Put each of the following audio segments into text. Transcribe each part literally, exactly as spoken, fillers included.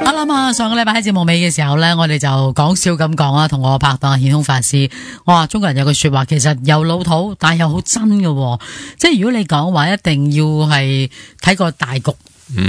我諗啊，上個禮拜喺節目尾嘅時候呢，我哋就講笑咁講啊，同我拍檔顯空法師，我話中國人有句說話，其實又老土，但係又好真嘅，即係如果你講話一定要係睇個大局，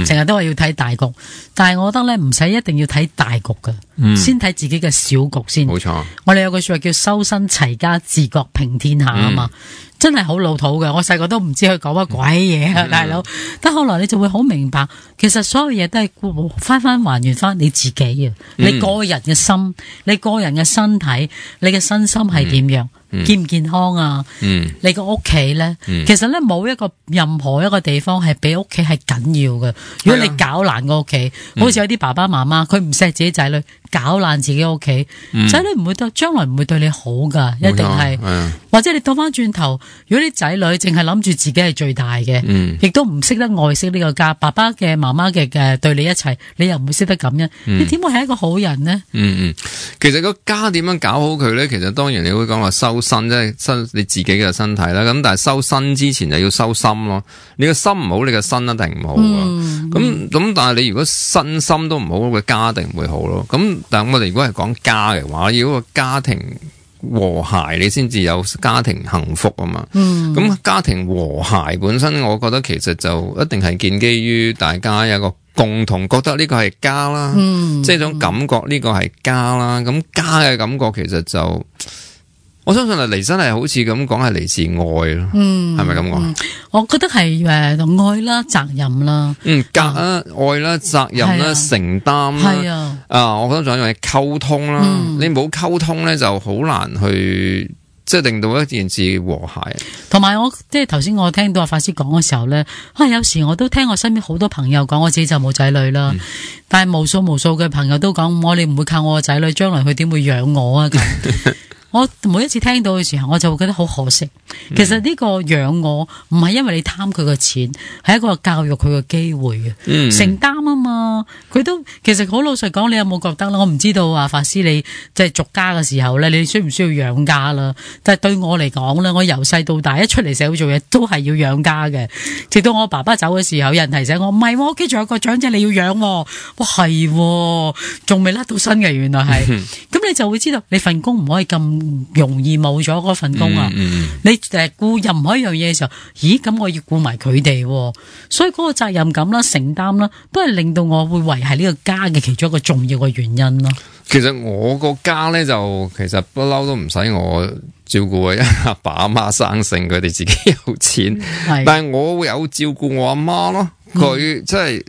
成日、嗯、都話要睇大局，但係我覺得呢，唔使一定要睇大局嘅，嗯、先睇自己嘅小局先。冇錯，我哋有句說話叫修身齊家治國平天下啊嘛。嗯真係好老土嘅，我細個都唔知佢講乜鬼嘢啊，大佬。但後來你就會好明白，其實所有嘢都係翻翻還原翻你自己啊，嗯、你個人嘅心，你個人嘅身體，你嘅身心係點樣？嗯、健唔健康啊？嗯、你個屋企咧，嗯、其實咧冇一個任何一個地方係比屋企係緊要嘅。如果你搞爛個屋企，嗯、好似有啲爸爸媽媽，佢唔錫自己仔女，搞爛自己屋企，仔女唔會對，將來唔會對你好噶，一定係。或者你倒翻轉頭，如果啲仔女淨係諗住自己係最大嘅，嗯、亦都唔識得愛惜呢個家，爸爸嘅、媽媽嘅嘅對你一齊，你又唔會識得感恩，嗯、你點會係一個好人呢？嗯嗯，其實個家點樣搞好佢咧？其實當然你會講話修身，即係身你自己嘅身體啦。咁但係修身之前就要修心咯。你個心唔好，你個身一定唔好。咁咁、嗯，但係你如果身心都唔好，個家一定唔會好咯。咁但係我哋如果係講家嘅話，要個家庭和諧，你先至有家庭幸福啊嘛。咁、嗯、家庭和諧本身，我覺得其實就一定係建基於大家有一個共同覺得呢個係家啦，嗯、即係種感覺呢個係家啦。咁家嘅感覺其實就。我相信啊，嚟真係好似咁講，係嚟自愛咯，係咪咁講？我覺得係誒愛啦，責任啦，嗯，格啊，愛啦，責任啦，承擔啦，係啊，啊，我覺得仲有一樣嘢溝通啦，嗯、你冇溝通咧，就好難去即係令到一件事和諧。同埋我即係頭先我聽到阿法師講嘅時候咧，啊，有時我都聽我身邊好多朋友講，我自己就冇仔女啦，嗯、但係無數無數嘅朋友都講，我哋唔會靠我個仔女，將來佢點會養我啊咁。我每一次聽到嘅時候，我就會覺得好可惜。其實呢個養我唔係因為你貪佢個錢，係一個教育佢嘅機會嘅，嗯、承擔啊嘛。佢都其實好老實講，你有冇覺得啦？我唔知道啊，法師你即係續家嘅時候咧，你需唔需要養家啦？但係對我嚟講咧，我由細到大一出嚟社會做嘢都係要養家嘅。直到我爸爸走嘅時候，有人提醒我，唔係，我屋企仲有個長者你要養。哇，係，仲未甩到身嘅，原來係。咁你就會知道，你份工唔可以咁容易冇咗嗰份工啊！嗯嗯、你誒顧任何一樣嘢嘅時候，咦？咁我要顧埋佢哋，所以嗰個責任感啦、承擔啦，都係令到我會維繫呢個家嘅其中一個重要嘅原因咯。其實我個家咧就其實不嬲都唔使我照顧嘅，因為阿爸阿媽生性，佢哋自己有錢，嗯、但係我會有照顧我阿媽咯。佢即係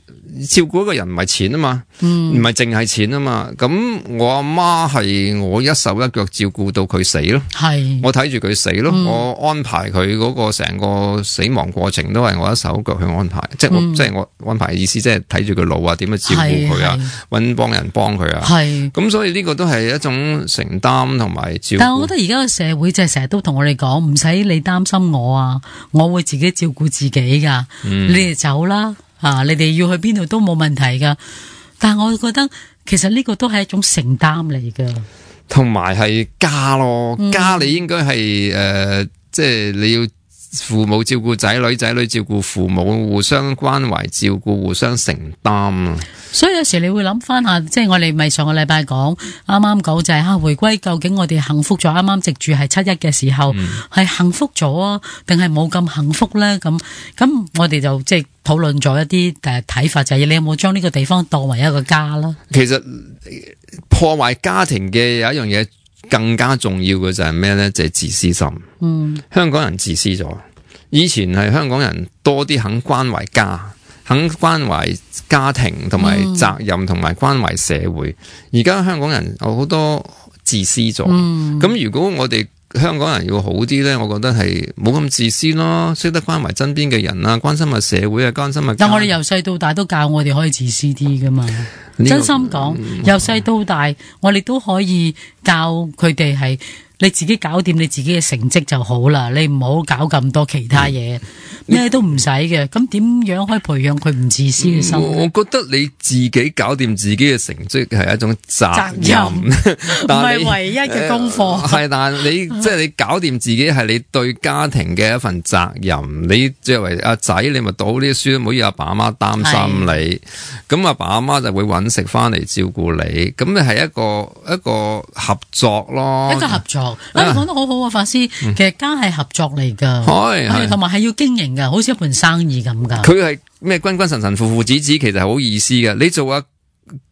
照顧一個人唔係錢啊嘛，唔係淨係錢啊嘛。咁我阿媽係我一手一腳照顧到佢死咯，係我睇住佢死咯，嗯、我安排佢嗰個成個死亡過程都係我一手一腳去安排，嗯、即係我即係我安排嘅意思，即係睇住佢老啊，點樣照顧佢啊，搵幫人幫佢啊。係咁，所以呢個都係一種承擔同埋照顧。但係我覺得而家嘅社會就係成日都同我哋講，唔使你擔心我啊，我會自己照顧自己噶，嗯、你哋走啦。啊！你哋要去邊度都冇問題噶，但係我覺得其實呢個都係一種承擔嚟噶，同埋係家咯，嗯、家你應該係誒，即係你要父母照顧仔女，仔女照顧父母，互相關懷照顧，互相承擔啊。所以有時你會諗翻下，即係我哋咪上個禮拜講，啱啱講就係吓回歸，究竟我哋幸福咗？啱啱直住係七一嘅時候，係、嗯、幸福咗啊，定係冇咁幸福咧？咁咁我哋就即係討論咗一啲誒睇法，就係、是、你有冇將呢個地方當為一個家啦？其實破壞家庭嘅有一樣嘢更加重要嘅就係咩咧？就係、是、自私心。嗯，香港人自私咗。以前係香港人多啲肯關懷家。肯關懷家庭同埋責任同埋關懷社會，而家、嗯、香港人有好多自私咗。咁、嗯、如果我哋香港人要好啲咧，我覺得係冇咁自私咯，識得關懷身邊嘅人啊，關心下社會啊，關心下。但我哋由細到大都教我哋可以自私啲噶嘛。這個、真心講，由細、嗯、到大，我哋都可以教佢哋係你自己搞掂你自己嘅成績就好啦，你唔好搞咁多其他嘢，咩、嗯、都唔使嘅。咁點樣可以培養佢唔自私嘅心？我覺得你自己搞掂自己嘅成績係一種責任，唔係唯一嘅功課。係、呃，但係你即係你搞掂自己係你對家庭嘅一份責任。你作為阿仔，你咪讀好呢啲書，唔好要阿爸阿媽擔心你。咁阿爸阿媽就會揾食翻嚟照顧你。咁你係一個一個合作咯，一個合作。你講得好好啊，法師，其實家係合作嚟噶，係同埋係要經營噶，好似一盤生意咁噶。佢係咩君君臣臣父父子子，其實係好意思嘅。你做啊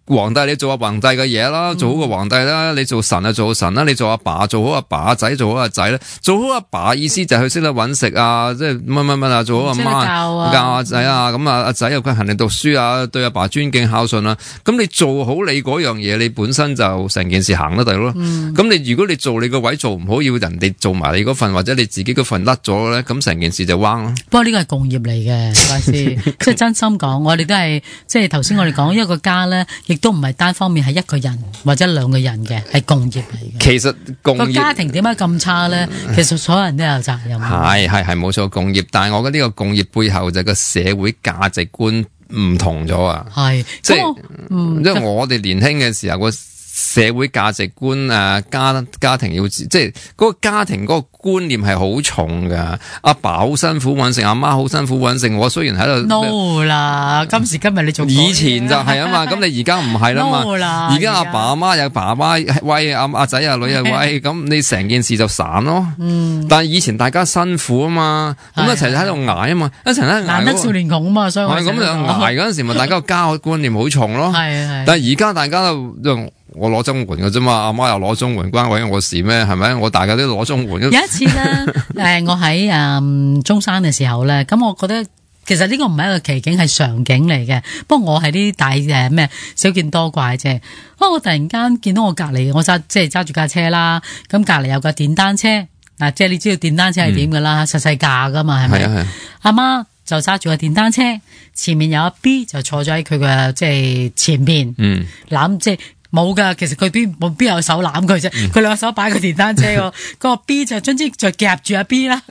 皇帝，你做阿皇帝嘅嘢啦，做好個皇帝啦；你做神啊，做好神啦；你做阿爸，做好阿爸；阿仔做好阿仔咧，做好阿爸意思就係佢識得搵食啊，即係乜乜乜啊，做好阿媽教阿仔啊，咁啊阿仔又佢勤力讀書啊，對阿爸尊敬孝順啊。咁你做好你嗰樣嘢，你本身就成件事行得到咯。咁、嗯、你如果你做你個位做唔好，要人哋做埋你嗰份，或者你自己嗰份甩咗咧，咁成件事就彎咯。不過呢個係共業嚟嘅，法師，即係真心講，我哋都係即係頭先我哋講一個家咧。亦都唔係單方面係一個人或者兩個人嘅，係共業嚟嘅。其實共業個家庭點解咁差咧？其實所有人都有責任。係係係冇錯，共業，但係我覺得呢個共業背後就係個社會價值觀唔同咗啊。係即係，嗯，因為我哋年輕嘅時候個社會價值觀啊，家家庭要即係嗰個家庭嗰個觀念係好重噶。阿爸好辛苦搵食，阿媽好辛苦搵食。我雖然喺度 no 啦，今時今日你仲以前就係啊嘛，咁你而家唔係啦嘛。而家阿爸阿媽有爸爸威，阿阿仔阿女又威，咁你成件事就散咯。嗯，但係以前大家辛苦啊嘛，咁一齊喺度捱啊嘛，一齊喺度捱。難得少年窮啊嘛，所以係咁樣捱嗰陣時，咪大家個家觀念好重咯。係係。但係而家大家都我攞綜援嘅啫嘛，阿媽又攞綜援，關鬼我事咩？係咪？我大家都攞綜援。有一次咧，誒、呃，我喺誒、嗯、中山嘅時候咧，咁我覺得其實呢個唔係一個奇景，係常景嚟嘅。不過我係啲大誒咩少見多怪啫。不過我突然間見到我隔籬，我揸即係揸住架車啦，咁隔籬有架電單車，嗱，即係你知道電單車係點噶啦，實細架噶嘛，係咪？係啊係。阿媽就揸住個電單車，前面有阿 B 就坐咗喺佢嘅即係前邊，嗯，攬即係。冇噶，其實佢邊冇邊有手攬佢啫，佢兩手擺個電單車個，個 B 就總之就夾住阿 B 啦。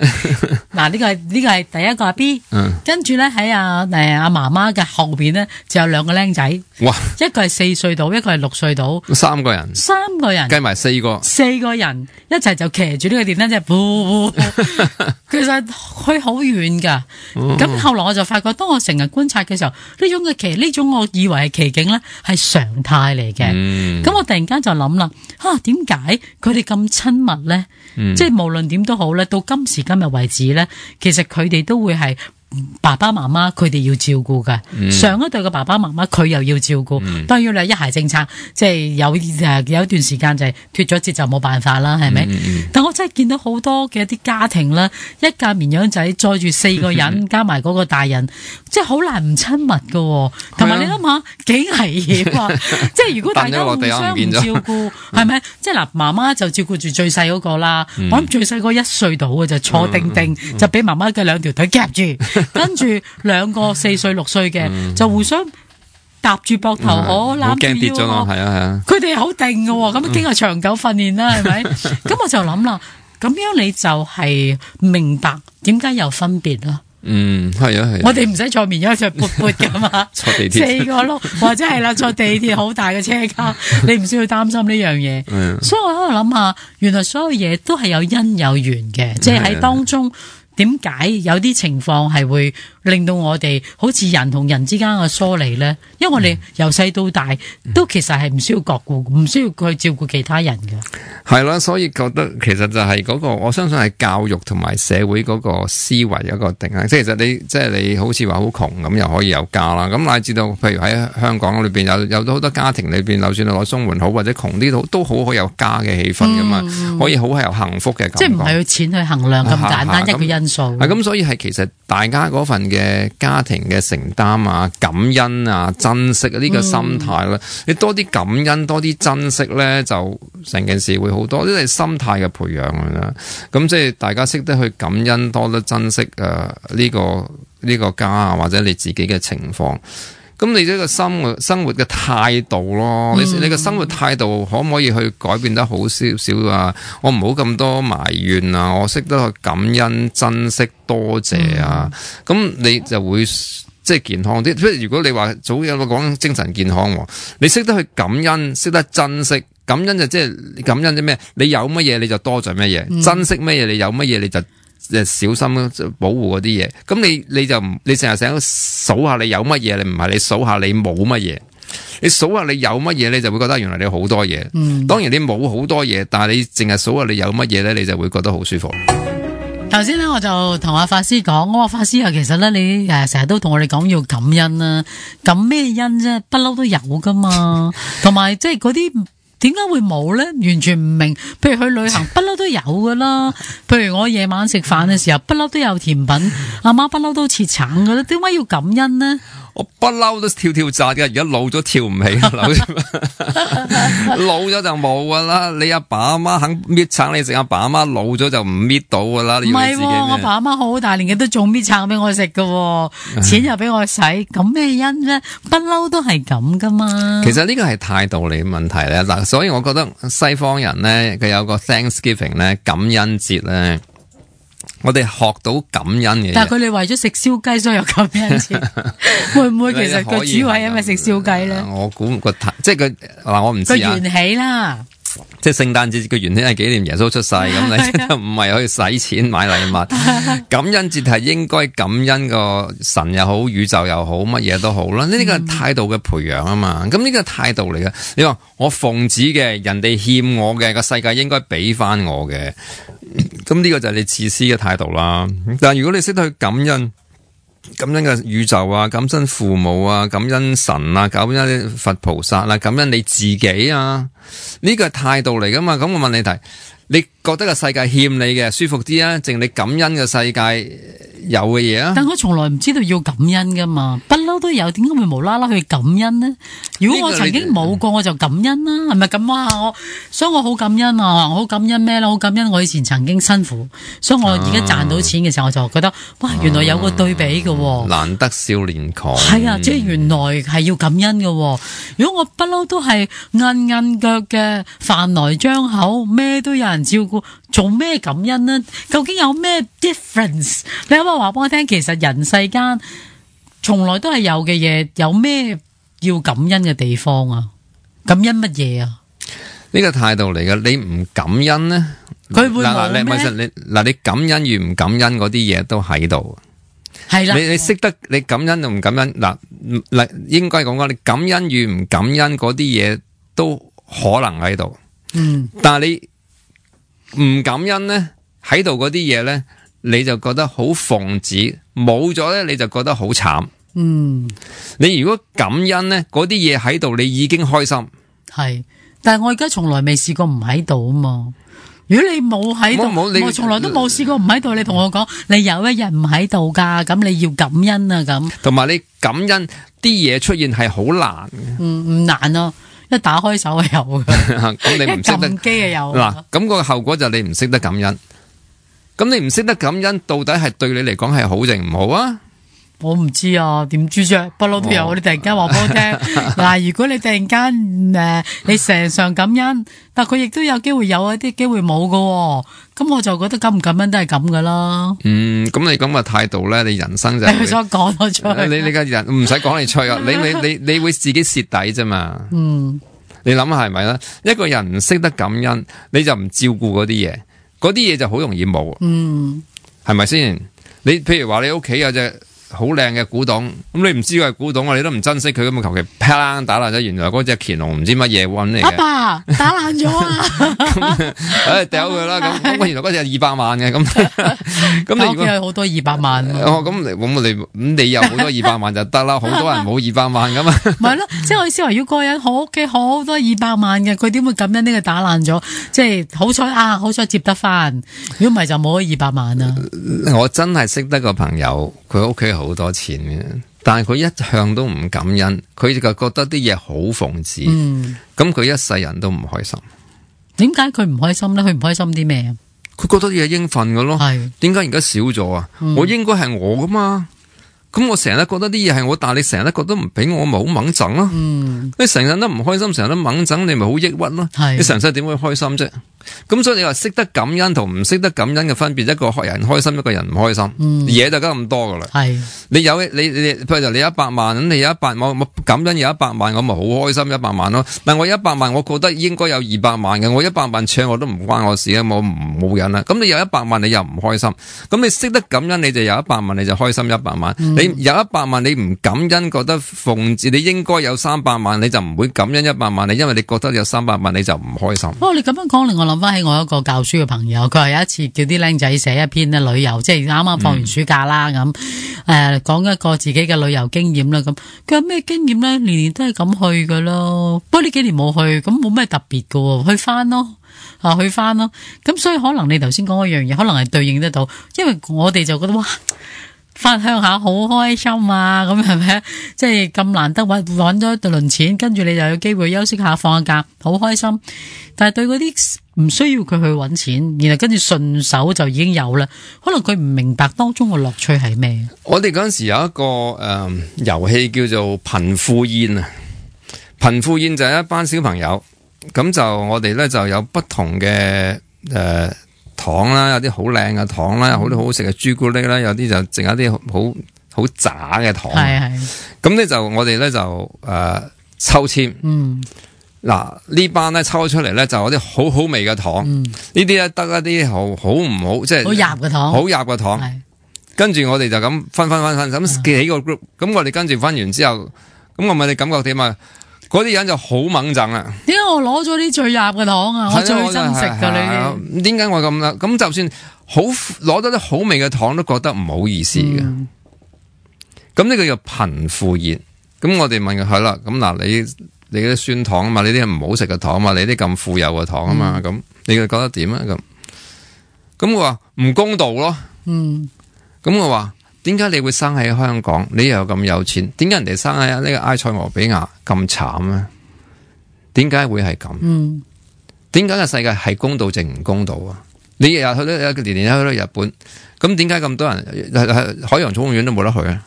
嗱，呢個係呢個係第一個阿 B，跟住咧喺阿誒阿媽媽嘅後邊咧就有兩個僆仔，哇，一個係四歲到，一個係六歲到，三個人，三個人計埋四個，四個人一齊就騎住呢個電單車，呼呼其實去好遠噶。咁、哦、後來我就發覺，當我成日觀察嘅時候，呢種嘅奇呢種我以為係奇景咧，係常態嚟嘅。嗯咁、嗯、我突然間就諗啦，啊，點解佢哋咁親密咧？嗯、即係無論點都好咧，到今時今日為止咧，其實佢哋都會係爸爸媽媽佢哋要照顧㗎、嗯。上一代嘅爸爸媽媽佢又要照顧、嗯。當然你一孩政策，即係有誒有一段時間就係脫咗節就冇辦法啦，係咪、嗯？但我真係見到好多嘅一啲家庭啦，一架綿羊仔載住四個人，加埋嗰個大人，即係好難唔親密㗎。同埋你諗下幾危險啊！即係如果大家互相唔照顧，係咪？即係嗱，媽媽就照顧住最細嗰個啦。嗯、我諗最細嗰一歲到嘅就坐定定，嗯、就俾媽媽嘅兩條腿夾住。跟住兩個四歲六歲嘅、嗯、就互相搭住膊頭，我攬住腰，係啊係啊，佢哋好定嘅，咁經過長久訓練啦，係咪？咁我就諗啦，咁樣你就係明白點解有分別啦。嗯，係啊係。我哋唔使坐綿羊，坐闊闊噶嘛，坐地鐵四個轆，或者係啦，坐地鐵好大嘅車卡，你唔需要擔心呢樣嘢。所以我喺度諗下，原來所有嘢都係有因有緣嘅，即係喺當中。點解有啲情況係會令到我哋好似人同人之間嘅疏離咧？因為我哋由細到大都其實係唔需要照顧，唔需要去照顧其他人嘅。係啦，所以覺得其實就係嗰個，我相信係教育同埋社會嗰個思維一個定義。即係其實你即係你好似話好窮咁，又可以有家啦。咁乃至到譬如喺香港裏邊有有好多家庭裏邊，就算攞綜援好或者窮啲都都好好有家嘅氣氛噶嘛，嗯、可以好係有幸福嘅感覺。即係唔係用錢去衡量咁簡單一個因素。係咁，所以係其實大家嗰份嘅家庭嘅承擔啊、感恩啊、珍惜啊呢個心態啦、嗯，你多啲感恩、多啲珍惜咧，就成件事會好多，呢係心態嘅培養啦。咁即係大家識得去感恩，多得珍惜誒呢個呢個家啊，或者你自己嘅情況。咁你呢個生活生活嘅態度咯，你你個生活態度可唔可以去改變得好少少啊？我唔好咁多埋怨啊，我識得去感恩、珍惜、多謝啊，咁、嗯、你就會即係健康啲。即係如果你話早有個講精神健康，你識得去感恩，識得珍惜。感恩就即係感恩啲咩？你有乜嘢你就多謝乜嘢，嗯、珍惜乜嘢你有乜嘢你就誒小心保護嗰啲嘢。咁你你就唔你成日成日數下你有乜嘢，你唔係你數下你冇乜嘢。你數下你有乜嘢，你就會覺得原來你好多嘢。嗯、當然你冇好多嘢，但係你淨係數下你有乜嘢咧，你就會覺得好舒服。頭先咧我就同阿法師講，我話法師啊，其實咧你誒成日都同我哋講要感恩啦，感咩恩啫？不嬲都有噶嘛，同埋即係嗰啲。點解會冇咧？完全唔明。譬如去旅行，不嬲都有噶啦。譬如我夜晚食飯嘅時候，不嬲都有甜品。阿媽不嬲都切橙噶啦。點解要感恩呢？我不嬲都跳跳紮嘅，而家老咗跳唔起啦。老咗就冇噶啦。你阿爸阿媽肯搣橙你食，阿爸阿媽老咗就唔搣到噶啦。唔係、啊，我爸阿媽好大年紀都仲搣橙俾我食噶，錢又俾我使，咁咩因啫？不嬲都係咁噶嘛。其實呢個係態度嚟嘅問題咧。嗱，所以我覺得西方人咧，佢有個 Thanksgiving 咧，感恩節咧。我哋學到感恩嘅，但係佢哋為咗食燒雞所以有感恩節，會唔會其實佢主要係因為食燒雞咧？我估個即係佢嗱，我唔知啊。個緣起啦，即係聖誕節個緣起係紀念耶穌出世咁，你就唔係可以使錢買禮物。感恩節係應該感恩個神又好，宇宙又好，乜嘢都好啦。呢個係態度嘅培養啊嘛。咁呢個係態度嚟嘅。你話我奉旨嘅，人哋欠我嘅，個世界應該俾翻我嘅。咁呢個就係你自私嘅態度啦。但係如果你識得去感恩，感恩嘅宇宙啊，感恩父母啊，感恩神啊，感恩佛菩薩啊，感恩你自己啊，呢個係態度嚟噶嘛。咁我問你題，你覺得個世界欠你嘅舒服啲啊，淨你感恩嘅世界有嘅嘢啊？但我從來唔知道要感恩噶嘛，不嬲都有，點解會無啦啦去感恩呢？如果我曾經冇過，我就感恩啦，係咪咁啊？我所以我好感恩啊，我好感恩咩啦？好感恩我以前曾經辛苦，所以我而家賺到錢嘅時候，我就覺得哇，原來有個對比嘅，難得少年狂。係啊，即係原來係要感恩嘅。如果我不嬲都係硬硬腳嘅，飯來張口，咩都有人照顧，做咩感恩呢？究竟有咩 difference？ 你可唔可以話俾我聽？其實人世間從來都係有嘅嘢，有咩要感恩嘅地方啊？感恩乜嘢啊？呢個態度嚟嘅，你唔感恩呢？佢會冇咩？你嗱，你感恩與唔感恩嗰啲嘢都喺度。係啦，你你識得你感恩同唔感恩嗱嗱，應該講講你感恩與唔感恩嗰啲嘢都可能喺度。嗯，但係你唔感恩呢，喺度嗰啲嘢咧，你就覺得好奉旨，冇咗咧你就覺得好慘。嗯，你如果感恩呢，嗰啲嘢喺度，你已經開心。係，但係我而家從來未試過唔喺度啊嘛。如果你冇喺度，我從來都冇試過唔喺度。你同我講，你有一日唔喺度噶，咁你要感恩啊咁。同埋你感恩啲嘢出現係好難嘅。嗯，唔難咯，一打開手就有嘅。咁你唔識得，一撳機就有。嗱，咁個後果就你唔識得感恩。咁你唔識得感恩，到底係對你嚟講係好定唔好啊？我唔知啊，點知啫？不嬲都有，哦、你突然間話俾我聽。嗱，如果你突然間誒、呃，你成常感恩，但佢亦都有機會有一啲機會冇噶、哦，咁我就覺得感唔感恩都係咁噶啦。嗯，咁你咁嘅態度咧，你人生就你想講我出去，你你嘅人唔使講你吹啊，你你你你會自己蝕底啫嘛。嗯，你諗下係咪咧？一個人唔識得感恩，你就唔照顧嗰啲嘢，嗰啲嘢就好容易冇。嗯，係咪先？你譬如話你屋企有隻好靚嘅古董，咁你唔知佢係古董啊，你都唔珍惜佢，咁啊求其啪啦打爛咗，原來嗰隻乾隆唔知乜嘢揾嚟嘅。阿爸打爛咗啊！誒掉佢啦，咁咁原來嗰隻係二百萬嘅，咁咁你如果好多二百萬，哦咁咁我哋咁你有好多二百萬就得啦，好多人冇二百萬噶嘛。唔係咯，即係我意思話，如果個人好屋企好多二百萬嘅，佢點會感恩呢個打爛咗？即係好彩啊，好彩接得翻，如果唔係就冇咗二百萬啊！我真係識得個朋友，佢屋企好多錢嘅，但係佢一向都唔感恩，佢就覺得啲嘢好奉旨，咁佢、嗯、一世人都唔開心。點解佢唔開心咧？佢唔開心啲咩啊？佢覺得啲嘢應份嘅咯，係點解而家少咗啊？嗯、我應該係我噶嘛，咁我成日覺得啲嘢係我，但係你成日都覺得唔俾我，咪好掹整咯。嗯，你成日都唔開心，成日都掹整，你咪好抑鬱咯。係你成世點會開心啫？咁所以你話識得感恩同唔識得感恩嘅分別，一個人開心，一個人唔開心，嘢、嗯、就得咁多噶啦。係你有你你，譬如你有一百萬，咁你有一百萬，我感恩有一百萬，我咪好開心一百萬咯。但我一百萬，我覺得應該有二百萬嘅，我一百萬搶我都唔關我事嘅，我唔冇癮啦。咁你有一百萬，你又唔開心。咁你識得感恩，你就有一百萬，你就開心一百萬。嗯、你有一百萬，你唔感恩，覺得奉旨你應該有三百萬，你就唔會感恩一百萬。你因為你覺得有三百萬，你就唔開心。不過你咁樣講，令我諗翻起我一個教書嘅朋友，佢話有一次叫啲僆仔寫一篇咧旅遊，即係啱啱放完暑假啦咁，誒、嗯，講、呃、一個自己嘅旅遊經驗啦咁。佢話咩經驗咧？年年都係咁去噶咯，不過呢幾年冇去，咁冇咩特別噶，去翻咯，啊，去翻咯。咁所以可能你頭先講嗰樣嘢，可能係對應得到，因為我哋就覺得哇，翻鄉下好開心啊，咁係咪？即係咁難得搵搵咗一輪錢，跟住你就有機會休息下，放下假，好開心。但係對嗰啲唔需要佢去搵錢，然後跟住順手就已經有啦，可能佢唔明白當中嘅樂趣係咩？我哋嗰陣時有一個誒遊戲叫做貧富宴啊，貧富宴就係一班小朋友，咁就我哋咧就有不同嘅誒。呃糖啦，有啲好靚嘅糖啦，有好多好好食嘅朱古力啦，有啲就剩一啲好好渣嘅糖。係係。咁咧就我哋咧就誒、呃、抽籤。嗯。嗱呢班咧抽出嚟咧就有啲好好味嘅糖。嗯。呢啲咧得一啲好好唔好，即係好入嘅糖。好入嘅糖。係。跟住我哋就咁分分分分咁幾個 group，咁我哋跟住分完之後，咁我問你感覺點啊？嗰啲人就好猛憎啦！點解我攞咗啲最入嘅糖啊？我最珍惜噶你。點解我咁啦？咁就算好攞得啲好味嘅糖，都覺得唔好意思嘅。咁呢、嗯、個叫貧富宴。咁我哋問佢係啦。咁嗱，你你啲酸糖啊嘛，你啲唔好食嘅糖啊嘛，你啲咁富有嘅糖啊嘛，咁、嗯、你覺得點啊？咁咁我話唔公道咯。嗯。咁我話。點解你會生喺香港？你又咁有錢，點解人哋生喺呢個埃塞俄比亞咁慘咧？點解會係咁？嗯，點解個世界係公道定唔公道啊？你日日去到年年去到日本，咁點解咁多人海洋寵物園都冇得去啊？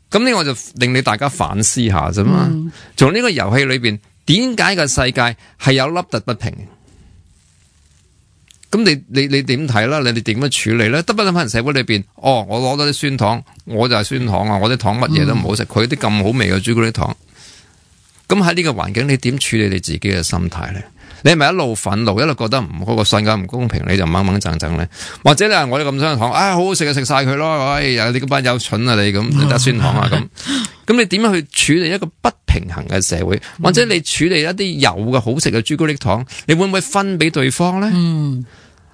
咁呢個就令你大家反思下啫嘛。從呢、嗯、個遊戲裏邊，點解個世界係有凹凸不平？咁你你你點睇啦？你哋點樣處理咧？得不得喺人社會裏邊？哦，我攞多啲酸糖，我就係酸糖啊！我啲糖乜嘢都唔好食，佢啲咁好味嘅朱古力糖。咁喺呢個環境，你點處理你自己嘅心態咧？你係咪一路憤怒，一路覺得唔嗰個世界唔公平，你就掹掹整整咧？或者你話我哋咁酸糖，啊好好食就食晒佢咯！哎呀，你嗰班有蠢啊你咁，你得酸糖啊咁。咁你點樣去處理一個不平衡嘅社會？或者你處理一啲有嘅好食嘅朱古力糖，你會唔會分俾對方咧？嗯。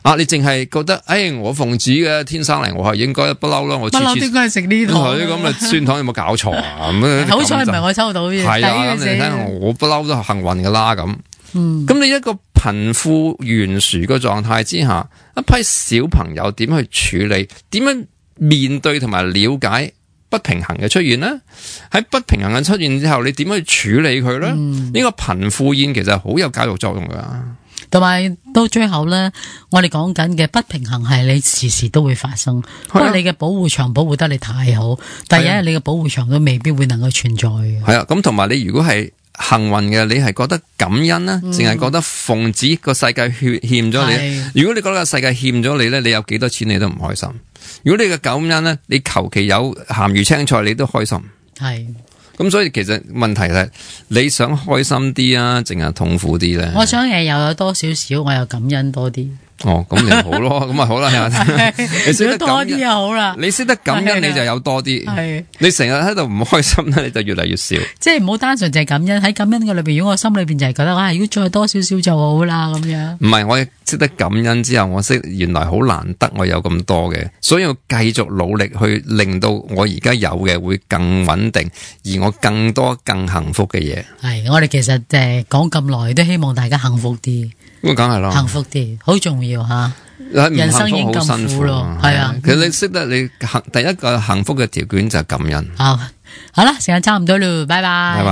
啊！你淨係覺得，誒、哎，我奉旨嘅天生嚟，我係應該不嬲啦。我不嬲應該係食呢糖。咁啊，酸糖有冇搞錯啊？咁好彩唔係我抽到嘅。係啊，咁你睇我不嬲都幸運噶啦咁。嗯。咁你一個貧富懸殊嘅狀態之下，一批小朋友點去處理？點樣面對同埋了解不平衡嘅出現呢？喺不平衡嘅出現之後，你點樣去處理佢咧？呢、嗯、個貧富宴其實好有教育作用噶。同埋到最後咧，我哋講緊嘅不平衡係你時時都會發生，不過、啊、你嘅保護牆保護得你太好，但係有日你嘅保護牆都未必會能夠存在嘅。係啊，咁同埋你如果係幸運嘅，你係覺得感恩啦，淨係、嗯、覺得奉旨個世界欠欠咗你。是如果你覺得個世界欠咗你咧，你有幾多錢你都唔開心。如果你嘅感恩咧，你求其有鹹魚青菜你都開心。係。咁所以其實問題係你想開心啲啊，淨係痛苦啲咧？我想誒又有多少少，我又感恩多啲。哦，咁就好咯，咁啊好啦，你識得多啲就好啦。你識得感恩，你就有多啲。係你成日喺度唔開心咧，你就越嚟越少。即係唔好單純淨係感恩，喺感恩嘅裏邊，如果我心裏邊就係覺得啊，如果再多少少就好啦咁樣。唔係，我識得感恩之後，我識原來好難得我有咁多嘅，所以我繼續努力去令到我而家有嘅會更穩定，而我更多更幸福嘅嘢。係我哋其實誒講咁耐，都希望大家幸福啲。咁梗係咯，幸福啲好重要吓。人生已經咁辛苦咯，係啊。其實你識得你幸第一個幸福嘅條件就係感恩。好，好啦，時間差唔多咯，拜拜。拜拜。